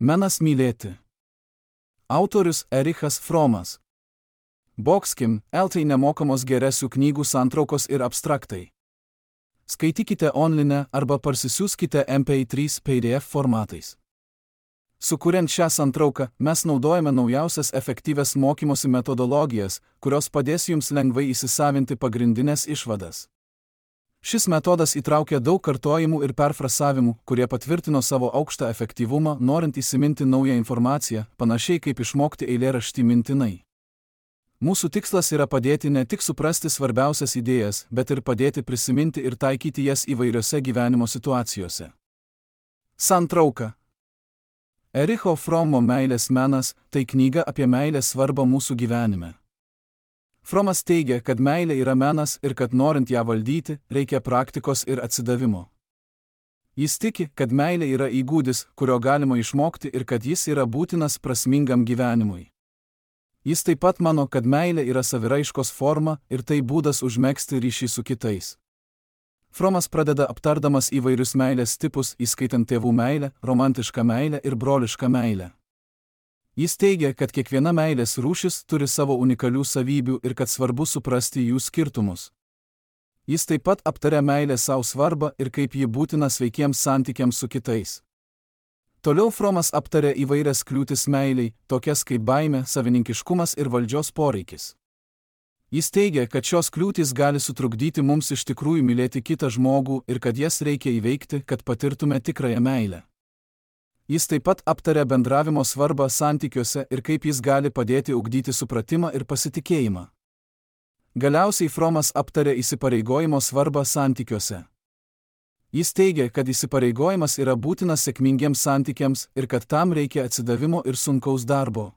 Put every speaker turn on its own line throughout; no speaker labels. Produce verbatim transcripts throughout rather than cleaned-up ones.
Menas mylėti. Autorius Erichas Fromas. Boxkim, L T nemokamos geresių knygų santraukos ir abstraktai. Skaitykite online arba parsisiųskite M P trys P D F formatais. Sukuriant šią santrauką, mes naudojame naujausias efektyvias mokymosi metodologijas, kurios padės jums lengvai įsisavinti pagrindinės išvadas. Šis metodas įtraukia daug kartojimų ir perfrasavimų, kurie patvirtino savo aukštą efektyvumą, norint įsiminti naują informaciją, panašiai kaip išmokti eilėraštį mintinai. Mūsų tikslas yra padėti ne tik suprasti svarbiausias idėjas, bet ir padėti prisiminti ir taikyti jas įvairiose gyvenimo situacijose. Santrauka. Ericho Fromo meilės menas – tai knyga apie meilės svarbą mūsų gyvenime. Fromas teigia, kad meilė yra menas ir kad norint ją valdyti, reikia praktikos ir atsidavimo. Jis tiki, kad meilė yra įgūdis, kurio galima išmokti ir kad jis yra būtinas prasmingam gyvenimui. Jis taip pat mano, kad meilė yra saviraiškos forma ir tai būdas užmegzti ryšį su kitais. Fromas pradeda aptardamas įvairius meilės tipus, įskaitant tėvų meilę, romantišką meilę ir brolišką meilę. Jis teigia, kad kiekviena meilės rūšis turi savo unikalių savybių ir kad svarbu suprasti jų skirtumus. Jis taip pat aptaria meilę savo svarbą ir kaip ji būtina sveikiems santykiams su kitais. Toliau Fromas aptaria įvairias kliūtis meiliai, tokias kaip baimė, savininkiškumas ir valdžios poreikis. Jis teigia, kad šios kliūtys gali sutrukdyti mums iš tikrųjų mylėti kitą žmogų ir kad jas reikia įveikti, kad patirtume tikrąją meilę. Jis taip pat aptaria bendravimo svarbą santykiuose ir kaip jis gali padėti ugdyti supratimą ir pasitikėjimą. Galiausiai Fromas aptaria įsipareigojimo svarbą santykiuose. Jis teigia, kad įsipareigojimas yra būtinas sėkmingiems santykiams ir kad tam reikia atsidavimo ir sunkaus darbo.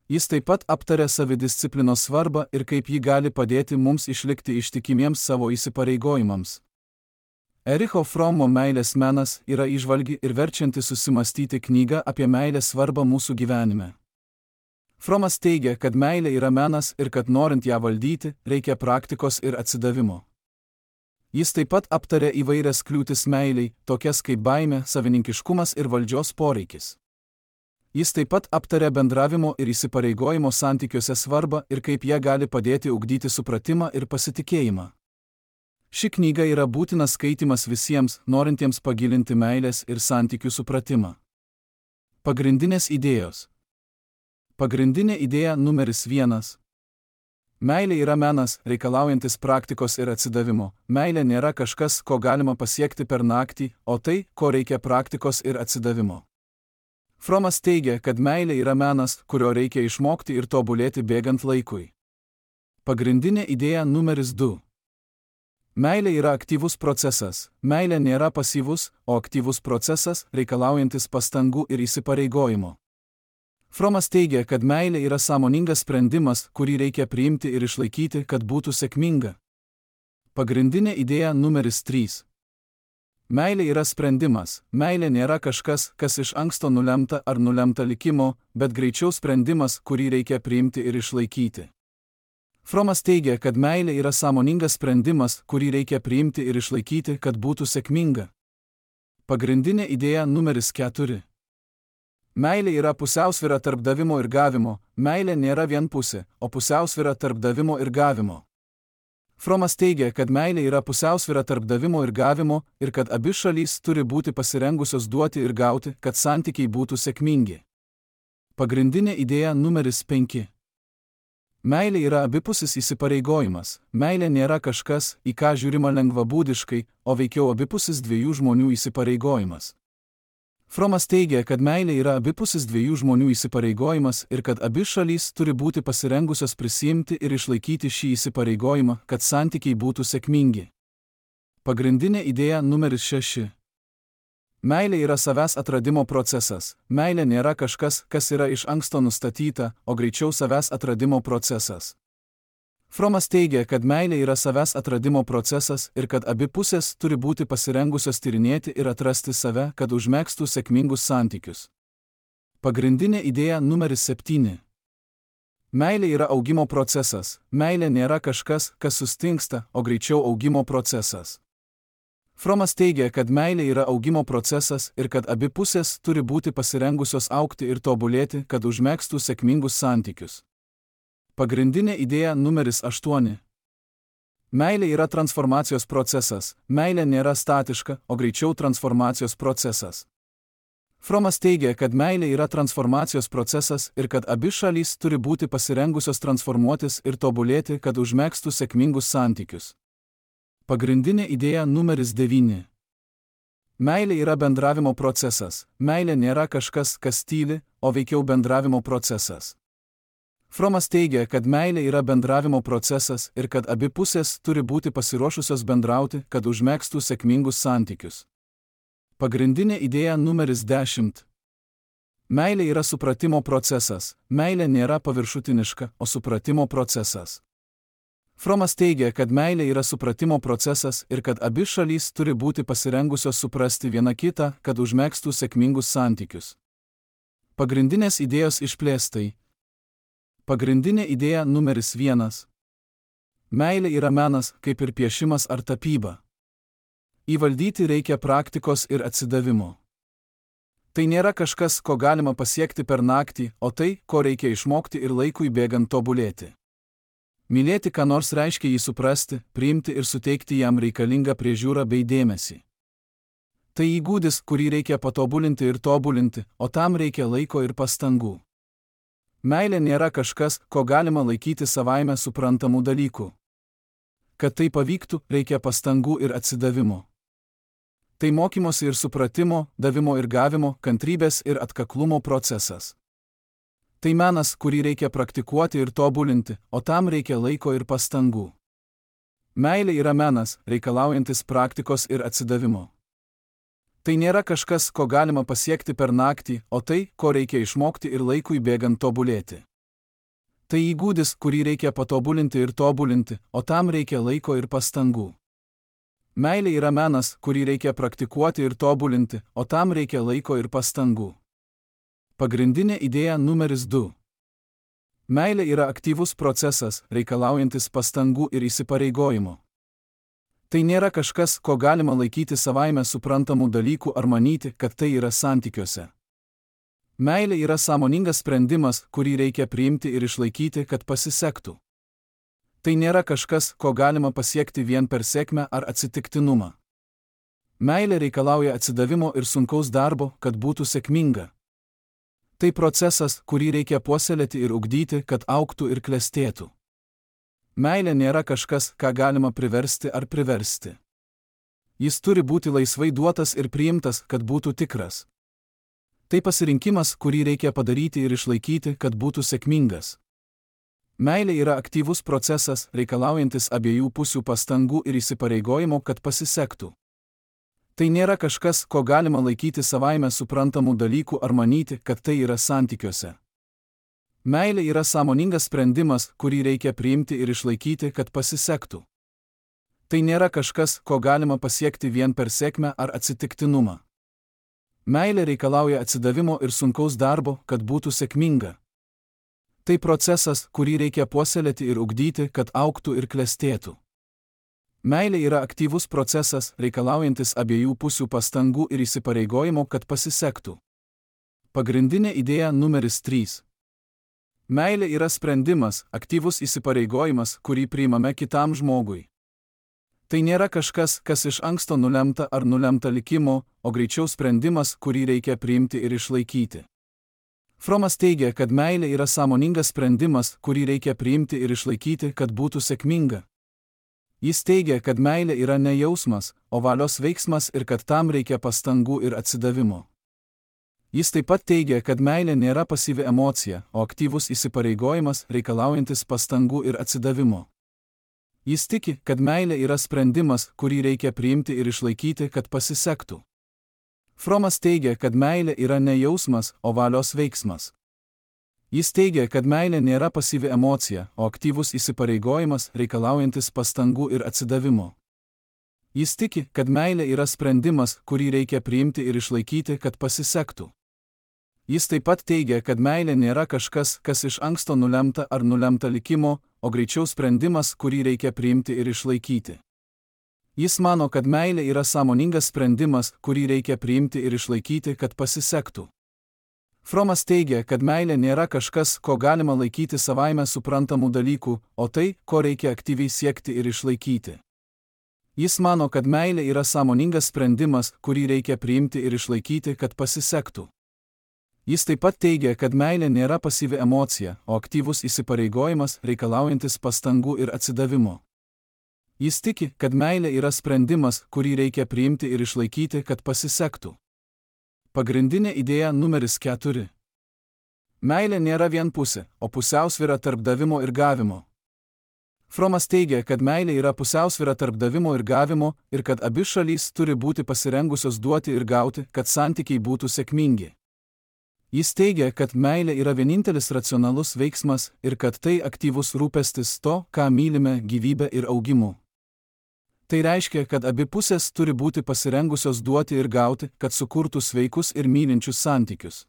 Jis taip pat aptaria savidisciplinos svarbą ir kaip ji gali padėti mums išlikti ištikimiems savo įsipareigojimams. Ericho Fromo meilės menas yra įžvalgi ir verčianti susimastyti knyga apie meilės svarbą mūsų gyvenime. Fromas teigia, kad meilė yra menas ir kad norint ją valdyti, reikia praktikos ir atsidavimo. Jis taip pat aptaria įvairias kliūtis meiliai, tokias kaip baimė, savininkiškumas ir valdžios poreikis. Jis taip pat aptaria bendravimo ir įsipareigojimo santykiuose svarbą ir kaip jie gali padėti ugdyti supratimą ir pasitikėjimą. Ši knyga yra būtinas skaitimas visiems, norintiems pagilinti meilės ir santykių supratimą. Pagrindinės idėjos. Pagrindinė idėja numeris vienas. Meilė yra menas, reikalaujantis praktikos ir atsidavimo. Meilė nėra kažkas, ko galima pasiekti per naktį, o tai, ko reikia praktikos ir atsidavimo. Fromas teigia, kad meilė yra menas, kurio reikia išmokti ir tobulėti bėgant laikui. Pagrindinė idėja numeris du. Meilė yra aktyvus procesas. Meilė nėra pasyvus, o aktyvus procesas, reikalaujantis pastangų ir įsipareigojimo. Fromas teigia, kad meilė yra sąmoningas sprendimas, kurį reikia priimti ir išlaikyti, kad būtų sėkminga. Pagrindinė idėja numeris trys. Meilė yra sprendimas. Meilė nėra kažkas, kas iš anksto nulemta ar nulemta likimo, bet greičiau sprendimas, kurį reikia priimti ir išlaikyti. Fromas teigia, kad meilė yra sąmoningas sprendimas, kurį reikia priimti ir išlaikyti, kad būtų sėkminga. Pagrindinė idėja numeris keturi. Meilė yra pusiausvyra tarp davimo ir gavimo. Meilė nėra vienpusė, o pusiausvyra tarp davimo ir gavimo. Fromas teigia, kad meilė yra pusiausvyra tarp davimo ir gavimo ir kad abi šalys turi būti pasirengusios duoti ir gauti, kad santykiai būtų sėkmingi. Pagrindinė idėja numeris penki. Meilė yra abipusis įsipareigojimas. Meilė nėra kažkas, į ką žiūrima lengvabūdiškai, o veikiau abipusis dviejų žmonių įsipareigojimas. Fromas teigia, kad meilė yra abipusis dviejų žmonių įsipareigojimas ir kad abi šalys turi būti pasirengusios prisiimti ir išlaikyti šį įsipareigojimą, kad santykiai būtų sėkmingi. Pagrindinė idėja numeris šeši. Meilė yra savęs atradimo procesas. Meilė nėra kažkas, kas yra iš anksto nustatyta, o greičiau savęs atradimo procesas. Fromas teigia, kad meilė yra savęs atradimo procesas ir kad abi pusės turi būti pasirengusios tyrinėti ir atrasti save, kad užmegztų sėkmingus santykius. Pagrindinė idėja numeris septyni. Meilė yra augimo procesas. Meilė nėra kažkas, kas sustingsta, o greičiau augimo procesas. Fromas teigia, kad meilė yra augimo procesas ir kad abi pusės turi būti pasirengusios augti ir tobulėti, kad užmegztų sėkmingus santykius. Pagrindinė idėja numeris aštuoni. Meilė yra transformacijos procesas, meilė nėra statiška, o greičiau transformacijos procesas. Fromas teigia, kad meilė yra transformacijos procesas ir kad abi šalys turi būti pasirengusios transformuotis ir tobulėti, kad užmegztų sėkmingus santykius. Pagrindinė idėja numeris devyni. Meilė yra bendravimo procesas, meilė nėra kažkas, kas tyli, o veikiau bendravimo procesas. Fromas teigia, kad meilė yra bendravimo procesas ir kad abi pusės turi būti pasiruošusios bendrauti, kad užmegztų sėkmingus santykius. Pagrindinė idėja numeris dešimt. Meilė yra supratimo procesas, meilė nėra paviršutiniška, o supratimo procesas. Fromas teigia, kad meilė yra supratimo procesas ir kad abi šalys turi būti pasirengusios suprasti viena kitą, kad užmegztų sėkmingus santykius. Pagrindinės idėjos išplėstai. Pagrindinė idėja numeris vienas. Meilė yra menas, kaip ir piešimas ar tapyba. Įvaldyti reikia praktikos ir atsidavimo. Tai nėra kažkas, ko galima pasiekti per naktį, o tai, ko reikia išmokti ir laikui bėgant tobulėti. Mylėti ką nors reiškia jį suprasti, priimti ir suteikti jam reikalingą priežiūrą bei dėmesį. Tai įgūdis, kurį reikia patobulinti ir tobulinti, o tam reikia laiko ir pastangų. Meilė nėra kažkas, ko galima laikyti savaime suprantamų dalykų. Kad tai pavyktų, reikia pastangų ir atsidavimo. Tai mokymosi ir supratimo, davimo ir gavimo, kantrybės ir atkaklumo procesas. Tai menas, kurį reikia praktikuoti ir tobulinti, o tam reikia laiko ir pastangų. Meilė yra menas, reikalaujantis praktikos ir atsidavimo. Tai nėra kažkas, ko galima pasiekti per naktį, o tai, ko reikia išmokti ir laikui bėgant tobulėti. Tai įgūdis, kurį reikia patobulinti ir tobulinti, o tam reikia laiko ir pastangų. Meilė yra menas, kurį reikia praktikuoti ir tobulinti, o tam reikia laiko ir pastangų. Pagrindinė idėja numeris du. Meilė yra aktyvus procesas, reikalaujantis pastangų ir įsipareigojimo. Tai nėra kažkas, ko galima laikyti savaime suprantamų dalykų ar manyti, kad tai yra santykiuose. Meilė yra sąmoningas sprendimas, kurį reikia priimti ir išlaikyti, kad pasisektų. Tai nėra kažkas, ko galima pasiekti vien per sėkmę ar atsitiktinumą. Meilė reikalauja atsidavimo ir sunkaus darbo, kad būtų sėkminga. Tai procesas, kurį reikia puoselėti ir ugdyti, kad augtų ir klestėtų. Meilė nėra kažkas, ką galima priversti ar priversti. Jis turi būti laisvai duotas ir priimtas, kad būtų tikras. Tai pasirinkimas, kurį reikia padaryti ir išlaikyti, kad būtų sėkmingas. Meilė yra aktyvus procesas, reikalaujantis abiejų pusių pastangų ir įsipareigojimo, kad pasisektų. Tai nėra kažkas, ko galima laikyti savaime suprantamų dalykų ar manyti, kad tai yra santykiuose. Meilė yra sąmoningas sprendimas, kurį reikia priimti ir išlaikyti, kad pasisektų. Tai nėra kažkas, ko galima pasiekti vien per sėkmę ar atsitiktinumą. Meilė reikalauja atsidavimo ir sunkaus darbo, kad būtų sėkminga. Tai procesas, kurį reikia puoselėti ir ugdyti, kad augtų ir klestėtų. Meilė yra aktyvus procesas, reikalaujantis abiejų pusių pastangų ir įsipareigojimo, kad pasisektų. Pagrindinė idėja numeris trys. Meilė yra sprendimas, aktyvus įsipareigojimas, kurį priimame kitam žmogui. Tai nėra kažkas, kas iš anksto nulemta ar nulemta likimo, o greičiau sprendimas, kurį reikia priimti ir išlaikyti. Fromas teigia, kad meilė yra sąmoningas sprendimas, kurį reikia priimti ir išlaikyti, kad būtų sėkminga. Jis teigia, kad meilė yra ne jausmas, o valios veiksmas ir kad tam reikia pastangų ir atsidavimo. Jis taip pat teigia, kad meilė nėra pasyvi emocija, o aktyvus įsipareigojimas, reikalaujantis pastangų ir atsidavimo. Jis tiki, kad meilė yra sprendimas, kurį reikia priimti ir išlaikyti, kad pasisektų. Fromas teigia, kad meilė yra ne jausmas, o valios veiksmas. Jis teigia, kad meilė nėra pasyvi emocija, o aktyvus įsipareigojimas, reikalaujantis pastangų ir atsidavimo. Jis tiki, kad meilė yra sprendimas, kurį reikia priimti ir išlaikyti, kad pasisektų. Jis taip pat teigia, kad meilė nėra kažkas, kas iš anksto nulemta ar nulemta likimo, o greičiau sprendimas, kurį reikia priimti ir išlaikyti. Jis mano, kad meilė yra sąmoningas sprendimas, kurį reikia priimti ir išlaikyti, kad pasisektų. Fromas teigia, kad meilė nėra kažkas, ko galima laikyti savaime suprantamų dalykų, o tai, ko reikia aktyviai siekti ir išlaikyti. Jis mano, kad meilė yra sąmoningas sprendimas, kurį reikia priimti ir išlaikyti, kad pasisektų. Jis taip pat teigia, kad meilė nėra pasyvi emocija, o aktyvus įsipareigojimas, reikalaujantis pastangų ir atsidavimo. Jis tiki, kad meilė yra sprendimas, kurį reikia priimti ir išlaikyti, kad pasisektų. Pagrindinė idėja numeris keturi. Meilė nėra vienpusė, o pusiausvyra tarp davimo ir gavimo. Fromas teigia, kad meilė yra pusiausvyra tarp davimo ir gavimo ir kad abi šalys turi būti pasirengusios duoti ir gauti, kad santykiai būtų sėkmingi. Jis teigia, kad meilė yra vienintelis racionalus veiksmas ir kad tai aktyvus rūpestis to, ką mylime, gyvybę ir augimu. Tai reiškia, kad abi pusės turi būti pasirengusios duoti ir gauti, kad sukurtų sveikus ir mylinčius santykius.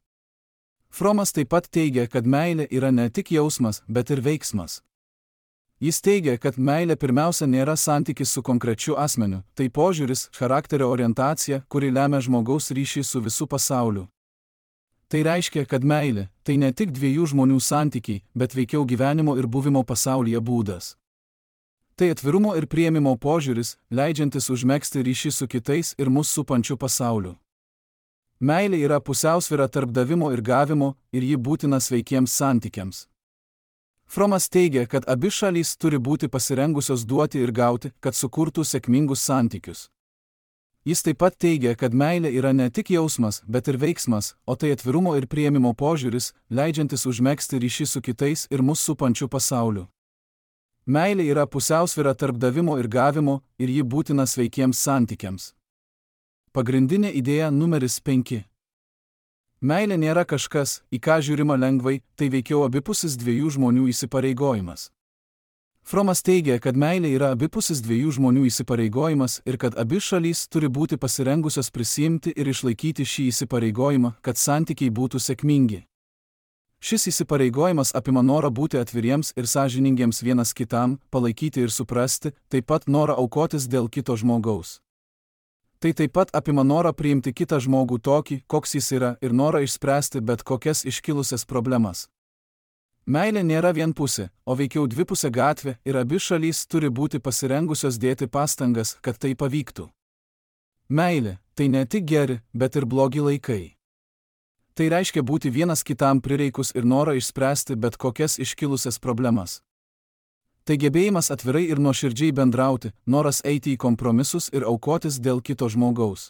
Fromas taip pat teigia, kad meilė yra ne tik jausmas, bet ir veiksmas. Jis teigia, kad meilė pirmiausia nėra santykis su konkrečiu asmeniu, tai požiūris, charakterio orientacija, kuri lemia žmogaus ryšį su visu pasauliu. Tai reiškia, kad meilė – tai ne tik dviejų žmonių santykiai, bet veikiau gyvenimo ir buvimo pasaulyje būdas. Tai atvirumo ir priėmimo požiūris, leidžiantis užmegzti ryšį su kitais ir mus supančiu pasauliu. Meilė yra pusiausvyra tarp davimo ir gavimo ir ji būtina sveikiems santykiams. Fromas teigia, kad abi šalys turi būti pasirengusios duoti ir gauti, kad sukurtų sėkmingus santykius. Jis taip pat teigia, kad meilė yra ne tik jausmas, bet ir veiksmas, o tai atvirumo ir priėmimo požiūris, leidžiantis užmegzti ryšį su kitais ir mus supančiu pasauliu. Meilė yra pusiausvyra tarp davimo ir gavimo ir ji būtina sveikiems santykiams. Pagrindinė idėja numeris penki. Meilė nėra kažkas, į ką žiūrima lengvai, tai veikiau abipusis dviejų žmonių įsipareigojimas. Fromas teigia, kad meilė yra abipusis dviejų žmonių įsipareigojimas ir kad abi šalys turi būti pasirengusios prisiimti ir išlaikyti šį įsipareigojimą, kad santykiai būtų sėkmingi. Šis įsipareigojimas apima norą būti atviriems ir sąžiningiems vienas kitam, palaikyti ir suprasti, taip pat norą aukotis dėl kito žmogaus. Tai taip pat apima norą priimti kitą žmogų tokį, koks jis yra, ir norą išspręsti bet kokias iškilusias problemas. Meilė nėra vienpusė, o veikiau dvipusė gatvė ir abi šalys turi būti pasirengusios dėti pastangas, kad tai pavyktų. Meilė – tai ne tik geri, bet ir blogi laikai. Tai reiškia būti vienas kitam prireikus ir norą išspręsti bet kokias iškilusias problemas. Tai gebėjimas atvirai ir nuoširdžiai bendrauti, noras eiti į kompromisus ir aukotis dėl kito žmogaus.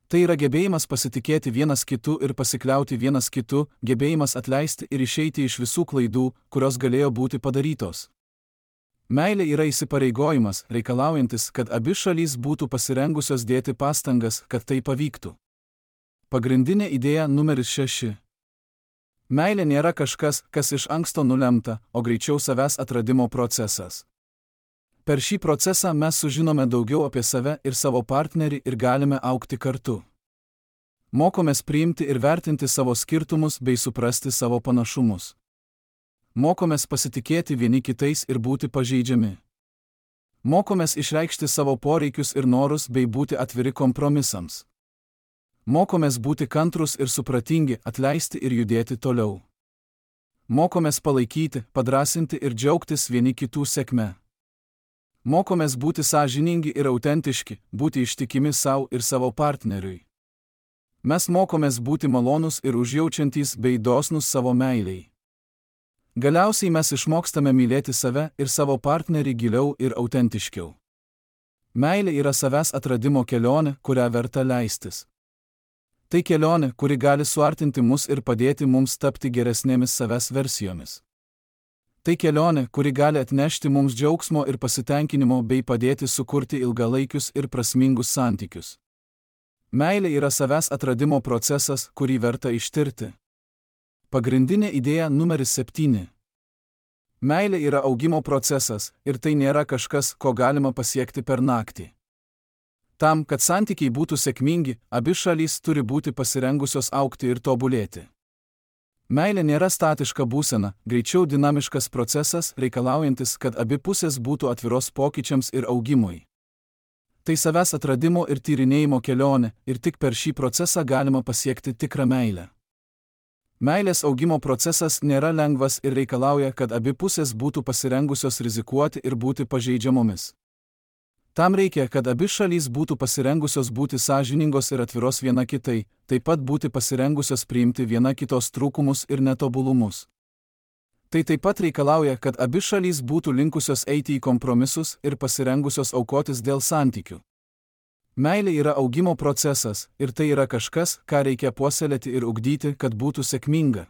Tai yra gebėjimas pasitikėti vienas kitu ir pasikliauti vienas kitu, gebėjimas atleisti ir išeiti iš visų klaidų, kurios galėjo būti padarytos. Meilė yra įsipareigojimas, reikalaujantis, kad abi šalys būtų pasirengusios dėti pastangas, kad tai pavyktų. Pagrindinė idėja numeris šeši. Meilė nėra kažkas, kas iš anksto nulemta, o greičiau savęs atradimo procesas. Per šį procesą mes sužinome daugiau apie save ir savo partnerį ir galime augti kartu. Mokomės priimti ir vertinti savo skirtumus bei suprasti savo panašumus. Mokomės pasitikėti vieni kitais ir būti pažeidžiami. Mokomės išreikšti savo poreikius ir norus bei būti atviri kompromisams. Mokomės būti kantrus ir supratingi, atleisti ir judėti toliau. Mokomės palaikyti, padrąsinti ir džiaugtis vieni kitų sėkme. Mokomės būti sąžiningi ir autentiški, būti ištikimi savo ir savo partneriui. Mes mokomės būti malonūs ir užjaučiantys bei dosnūs savo meiliai. Galiausiai mes išmokstame mylėti save ir savo partnerį giliau ir autentiškiau. Meilė yra savęs atradimo kelionė, kurią verta leistis. Tai kelionė, kuri gali suartinti mus ir padėti mums tapti geresnėmis savęs versijomis. Tai kelionė, kuri gali atnešti mums džiaugsmo ir pasitenkinimo bei padėti sukurti ilgalaikius ir prasmingus santykius. Meilė yra savęs atradimo procesas, kurį verta ištirti. Pagrindinė idėja numeris septyni. Meilė yra augimo procesas ir tai nėra kažkas, ko galima pasiekti per naktį. Tam, kad santykiai būtų sėkmingi, abi šalys turi būti pasirengusios augti ir tobulėti. Meilė nėra statiška būsena, greičiau dinamiškas procesas, reikalaujantis, kad abi pusės būtų atviros pokyčiams ir augimui. Tai savęs atradimo ir tyrinėjimo kelionė ir tik per šį procesą galima pasiekti tikrą meilę. Meilės augimo procesas nėra lengvas ir reikalauja, kad abi pusės būtų pasirengusios rizikuoti ir būti pažeidžiamomis. Tam reikia, kad abi šalys būtų pasirengusios būti sąžiningos ir atviros viena kitai, taip pat būti pasirengusios priimti viena kitos trūkumus ir netobulumus. Tai taip pat reikalauja, kad abi šalys būtų linkusios eiti į kompromisus ir pasirengusios aukotis dėl santykių. Meilė yra augimo procesas ir tai yra kažkas, ką reikia puoselėti ir ugdyti, kad būtų sėkminga.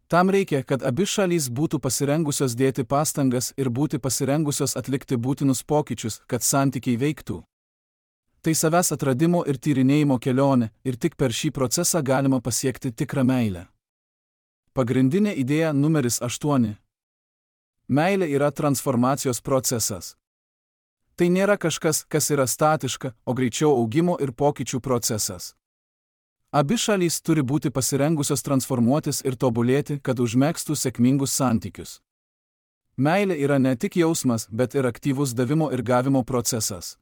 Tam reikia, kad abi šalys būtų pasirengusios dėti pastangas ir būti pasirengusios atlikti būtinus pokyčius, kad santykiai veiktų. Tai savęs atradimo ir tyrinėjimo kelionė ir tik per šį procesą galima pasiekti tikrą meilę. Pagrindinė idėja numeris aštuoni. Meilė yra transformacijos procesas. Tai nėra kažkas, kas yra statiška, o greičiau augimo ir pokyčių procesas. Abi šalys turi būti pasirengusios transformuotis ir tobulėti, kad užmegztų sėkmingus santykius. Meilė yra ne tik jausmas, bet ir aktyvus davimo ir gavimo procesas.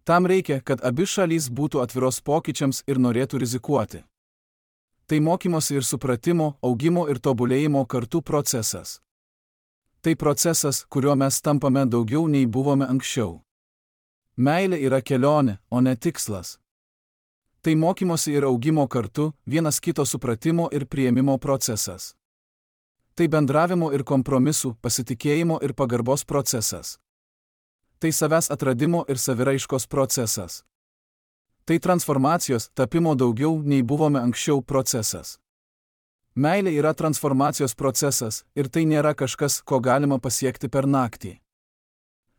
Tam reikia, kad abi šalys būtų atviros pokyčiams ir norėtų rizikuoti. Tai mokymosi ir supratimo, augimo ir tobulėjimo kartu procesas. Tai procesas, kuriuo mes tampame daugiau nei buvome anksčiau. Meilė yra kelionė, o ne tikslas. Tai mokymosi ir augimo kartu, vienas kito supratimo ir priėmimo procesas. Tai bendravimo ir kompromisų, pasitikėjimo ir pagarbos procesas. Tai savęs atradimo ir saviraiškos procesas. Tai transformacijos, tapimo daugiau nei buvome anksčiau procesas. Meilė yra transformacijos procesas ir tai nėra kažkas, ko galima pasiekti per naktį.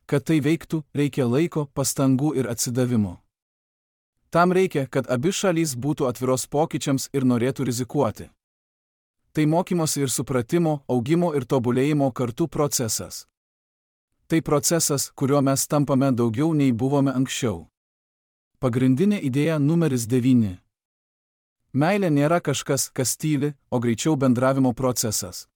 Kad tai veiktų, reikia laiko, pastangų ir atsidavimo. Tam reikia, kad abi šalys būtų atviros pokyčiams ir norėtų rizikuoti. Tai mokymosi ir supratimo, augimo ir tobulėjimo kartu procesas. Tai procesas, kuriuo mes tampame daugiau nei buvome anksčiau. Pagrindinė idėja numeris devyni. Meilė nėra kažkas, kas tyli, o greičiau bendravimo procesas.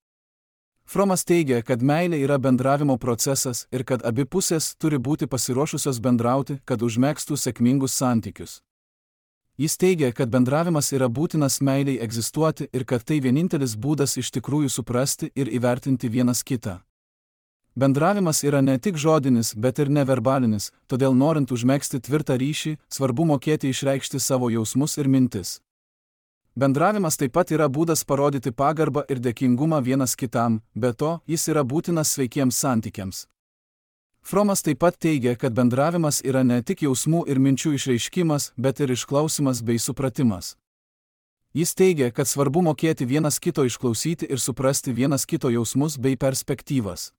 Fromas teigia, kad meilė yra bendravimo procesas ir kad abi pusės turi būti pasiruošusios bendrauti, kad užmegztų sėkmingus santykius. Jis teigia, kad bendravimas yra būtinas meiliai egzistuoti ir kad tai vienintelis būdas iš tikrųjų suprasti ir įvertinti vienas kitą. Bendravimas yra ne tik žodinis, bet ir neverbalinis, todėl norint užmegzti tvirtą ryšį, svarbu mokėti išreikšti savo jausmus ir mintis. Bendravimas taip pat yra būdas parodyti pagarbą ir dėkingumą vienas kitam, be to, jis yra būtinas sveikiems santykiams. Fromas taip pat teigia, kad bendravimas yra ne tik jausmų ir minčių išreiškimas, bet ir išklausimas bei supratimas. Jis teigia, kad svarbu mokėti vienas kito išklausyti ir suprasti vienas kito jausmus bei perspektyvas.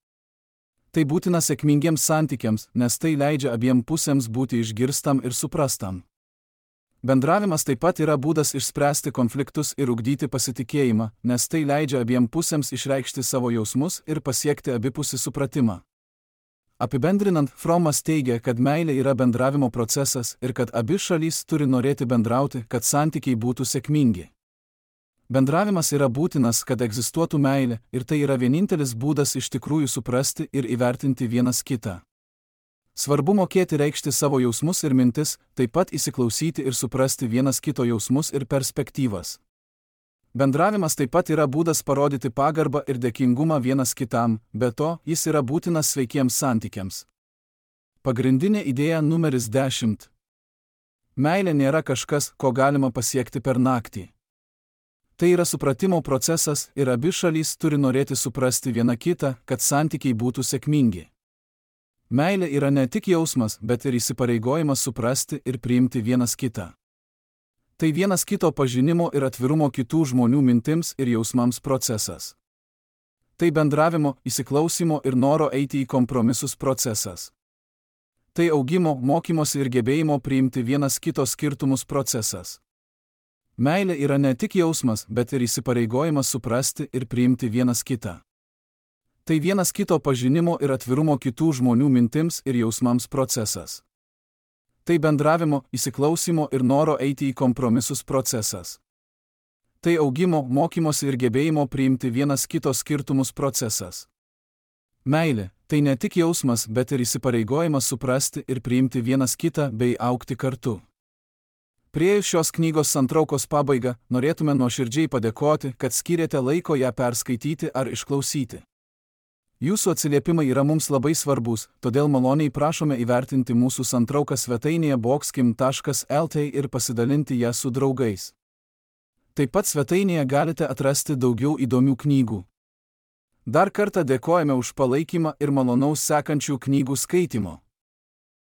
Tai būtina sėkmingiems santykiams, nes tai leidžia abiem pusėms būti išgirstam ir suprastam. Bendravimas taip pat yra būdas išspręsti konfliktus ir ugdyti pasitikėjimą, nes tai leidžia abiem pusėms išreikšti savo jausmus ir pasiekti abipusį supratimą. Apibendrinant, Fromas teigia, kad meilė yra bendravimo procesas ir kad abi šalys turi norėti bendrauti, kad santykiai būtų sėkmingi. Bendravimas yra būtinas, kad egzistuotų meilė, ir tai yra vienintelis būdas iš tikrųjų suprasti ir įvertinti vienas kitą. Svarbu mokėti reikšti savo jausmus ir mintis, taip pat įsiklausyti ir suprasti vienas kito jausmus ir perspektyvas. Bendravimas taip pat yra būdas parodyti pagarbą ir dėkingumą vienas kitam, be to, jis yra būtinas sveikiems santykiams. Pagrindinė idėja numeris dešimt. Meilė nėra kažkas, ko galima pasiekti per naktį. Tai yra supratimo procesas ir abi šalys turi norėti suprasti vieną kitą, kad santykiai būtų sėkmingi. Meilė yra ne tik jausmas, bet ir įsipareigojimas suprasti ir priimti vienas kitą. Tai vienas kito pažinimo ir atvirumo kitų žmonių mintims ir jausmams procesas. Tai bendravimo, įsiklausimo ir noro eiti į kompromisus procesas. Tai augimo, mokymosi ir gebėjimo priimti vienas kito skirtumus procesas. Meilė yra ne tik jausmas, bet ir įsipareigojimas suprasti ir priimti vienas kitą. Tai vienas kito pažinimo ir atvirumo kitų žmonių mintims ir jausmams procesas. Tai bendravimo, įsiklausimo ir noro eiti į kompromisus procesas. Tai augimo, mokymosi ir gebėjimo priimti vienas kito skirtumus procesas. Meilė – tai ne tik jausmas, bet ir įsipareigojimas suprasti ir priimti vienas kitą bei augti kartu. Priėjus šios knygos santraukos pabaigą, norėtume nuoširdžiai padėkoti, kad skyrėte laiko ją perskaityti ar išklausyti. Jūsų atsiliepimai yra mums labai svarbus, todėl maloniai prašome įvertinti mūsų santrauką svetainėje boxkim taškas el tė ir pasidalinti ją su draugais. Taip pat svetainėje galite atrasti daugiau įdomių knygų. Dar kartą dėkojame už palaikymą ir malonaus sekančių knygų skaitymo.